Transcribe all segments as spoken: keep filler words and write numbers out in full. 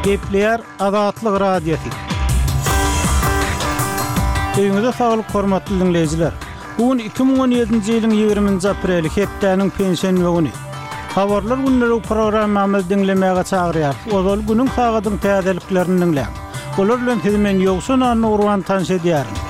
Gepleýär Azatlyk Radiosy. Öýüňize saglyk hormatly diňleýjiler. Bu gün iki müň on ýedinji ýylyň ýigriminji apreli, hepdäniň penşenbe güni. Habarlar gündelik programmamyzy diňlemäge çagyrýarys. Ozal günüň sagadyň täzeliklerini diňläň. Olar bilen sizi men Ýowşan Annagurban tanyş edýärin.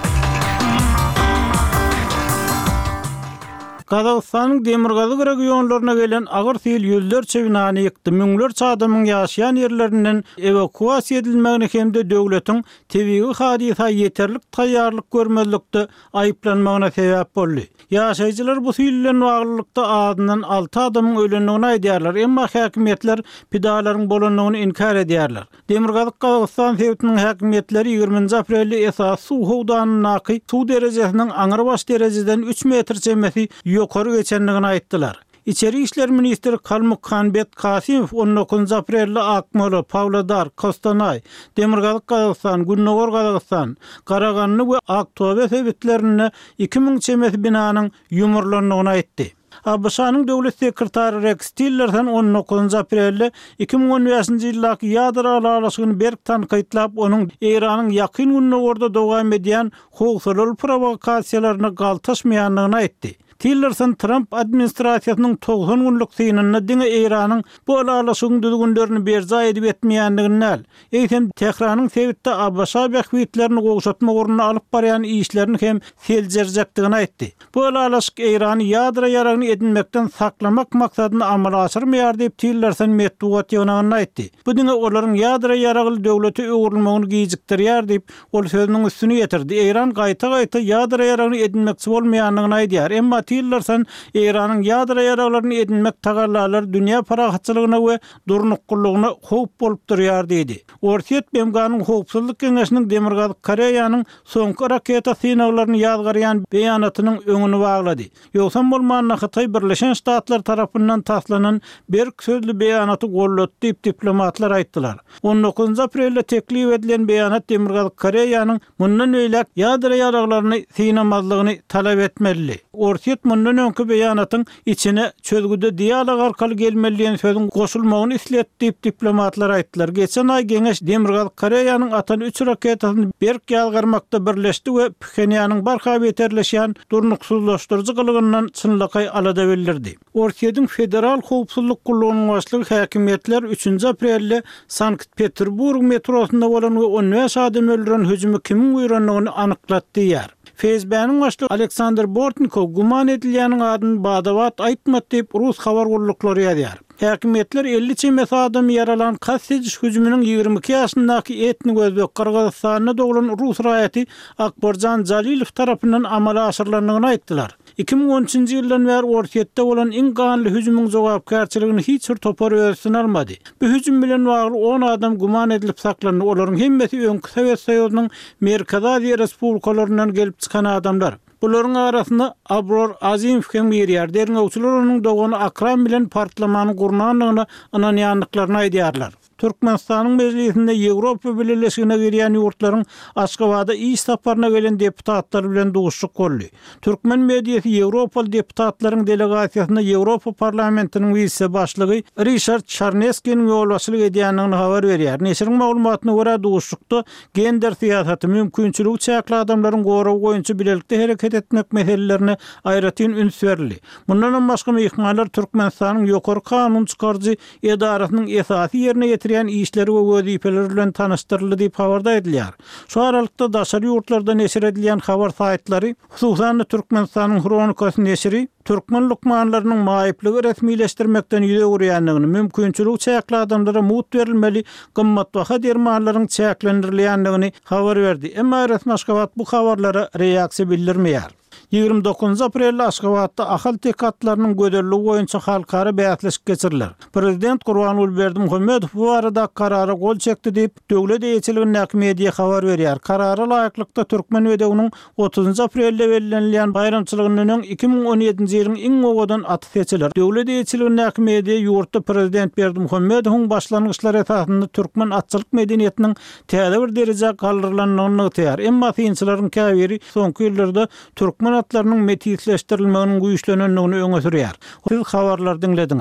Gazagystanyň demirgazyk regionlaryna gelen agyr sil ýüzlerçe binany ýykdy, müňlerçe adamyň ýaşaýan ýerlerinden ewakuasiýa edilmegini hem-de döwletiň tebigy hadysa ýeterlik taýýarlyk görmezlikde aýyplanmagyna sebäp boldy. Ýaşaýjylar bu sil bilen baglylykda azyndan alty adamyň ölendigini aýdýarlar, emma häkimiýetler pidalaryň bolandygyny inkär edýärler. Demirgazyk Gazagystan sebitiniň häkimiýetleri ýigriminji aprelde esasy suw howdanyndaky suw derejesiniň aňrybaş derejeden üç metr çemesi ýokary geçendigini aýtdylar. Içeri işler ministri Kalmukhanbet Kasimow on dokuzynjy aprelde Akmola, Pawlodar, Kostanay, Demirgazyk Gazagystan, Gündogar Gazagystan, Karagandy we Aktobe sebitlerinde iki müň çemesi binanyň ýumurlandygyny aýtdy. ABŞ-nyň döwlet sekretary Rex Tillerson on dokuzynjy aprelde iki müň on bäşinji ýyldaky ýadro ylalaşygyny berk tankytlap, onuň Eýranyň ýakyn Gündogarda dowam edýän howsalaly provokasiýalaryna galtaşmaýandygyny aýtdy. Tillerson Trump administrasiýasynyň togsan günlük synynda diňe Eýranyň bu ylalaşygyň düzgünlerini berjaý edip etmeýändigini däl, eýsem Tähranyň sebitde ABŞ bähbitlerini gowşatmak ugrunda alyp barýan işlerini hem seljerjekdigini aýtdy. Bu ylalaşyk Eýrany ýadro ýaragyny edinmekden saklamak maksadyny amala aşyrmaýar diýip Tillerson metbugat ýygnagynda aýtdy. Bu diňe olaryň ýadro ýaragly döwlete öwrülmegini gijikdirýär diýip, ol sözüniň üstüni ýetirdi. Eýran gaýta-gaýta ýadro ýaragyny edinmekçi bolmaýandygyny aýdýar. Emma Tillerson Eýranyň ýadro ýaraglaryny edinmek tagallalary dünýä parahatçylygyna we durnuklylygyna howp bolup durýar diýdi. Orsýet B M G-nyň Howpsuzlyk Geňeşiniň Demirgazyk Koreýanyň soňky raketa synaglaryny ýazgarýan beýanatynyň öňüni baglady. Ýogsam bolmanda Hytaý Birleşen Ştatlar tarapyndan taslanan berk sözlü beýanaty gollady diýip diplomatlar aýtdylar. on dokuzynjy aprelde teklip edilen beýanat Demirgazyk Koreýanyň mundan öýläk ýadro ýaraglaryny synamazlygyny talap etmeli. Orsýet mundan öňki beýanatyň içine çözgüde dialog arkaly gelmeli diýen sözüň goşulmagyny islet diýip diplomatlar aýtdylar. Geçen aý Geňeş Demirgazyk Koreýanyň atan üç raketasyny berk ýazgarmakda birleşdi we Phenýanyň barha beterleşýän durnuksyzlaşdyryjy gylygyndan çynlakaý alada bildirdi. Orsýetiň Federal Howpsuzlyk Gullugynyň başlygy häkimiýetler üçünji aprelde Sankt-Peterburg metrosynda bolan we on bäş adam öldüren hüjümi kimiň buýrandygyny anyklady diýýär. F S B-niň başlygy Aleksandr Bortnikow güman edilýäniň adyny badabat aýtmady diýip Rus habar gulluklary ýazýar. Häkimiýetler elli çemesi adamy ýaralan kast ediş hüjüminiň ýigrimi iki ýaşyndaky etnik özbek Gyrgyzystanda doglan Rus raýaty Akbarjan Jalilow tarapyndan amala aşyrylandygyny aýtdylar. Iki müň on üçünji ýyldan bäri Orsýetde bolan iň ganly hüjümiň jogapkärçiligini hiç bir topar öz üstüne almady. Bu hüjüm bilen bagly on adam güman edilip saklandy. Olaryň hemmesi öňki Sowet Soýuzynyň Merkezi Aziýa Respublikalaryndan gelip çykan adamlar. Bularyň arasynda Abror Azimow hem girýär. Derňewçiler onuň dogany Akram bilen partlamany gurnandygyna ynanýandyklaryny aýdýarlar. Türkmenistanyň mejlisinde Ýewropa Bileleşigine girýän ýurtlaryň Aşgabada iş saparyna gelen deputatlar bilen duşuşyk boldy. Türkmen mediasy Ýewropaly deputatlaryň delegasiýasyna Ýewropa Parlamentiniň wise başlygy Rişard Çarneskiniň ýolbaşçylyk edýändigini habar berýär. Neşiriň maglumatyna görä duşuşykda gender syýasaty, mümkinçiligi çäkli adamlaryň goragy boýunça bilelikde hereket etmek meselelerine aýratyn üns berildi. Mundan başga myhmanlar Türkmenistanyň ýokary kanun çykaryjy edarasynyň esasy ýerine ýetirýän işleri we wezipeleri bilen tanyşdyryldy diýip habarda aýdylýar. Şu aralykda daşary ýurtlarda neşir edilýän habar saýtlary, hususan-da Türkmenistanyň Hronikasy neşiri türkmen lukmanlarynyň maýyplygy resmileşdirmekden ýüz öwürýändigini, mümkinçiligi çäkli adamlara mugt berilmeli gymmatbaha dermanlaryň çäklendirilýändigini habar berdi. Emma resmi Aşgabat bu habarlara reaksiýa bildirmeýär. Ýigrimi dokuzynjy aprelde Aşgabatda Ahal-teke atlarynyň gözelligi boýunça halkara bäsleşik geçiriler. Prezident Gurbanguly Berdimuhamedow bu barada karara gol çekdi diýip, döwlet eýeçiligindäki media habar berýär. Karara laýyklykda Türkmen bedewiniň otuzynjy aprelde bellenilýän baýramçylygyndan öň iki müň on ýedinji ýylyň iň owadan aty seçiler. Döwlet eýeçiligindäki media ýurtda Prezident Berdimuhamedowyň başlangyçlary esasynda türkmen atçylyk medeniýetiniň täze bir derejä galdyrylandygyny nygtaýar. Emma synçylaryň käbiri soňky ýyllarda türkmen atlarynyň metisleşdirilmeginiň güýçlenendigini öňe sürýär. Siz habarlar diňlediňiz.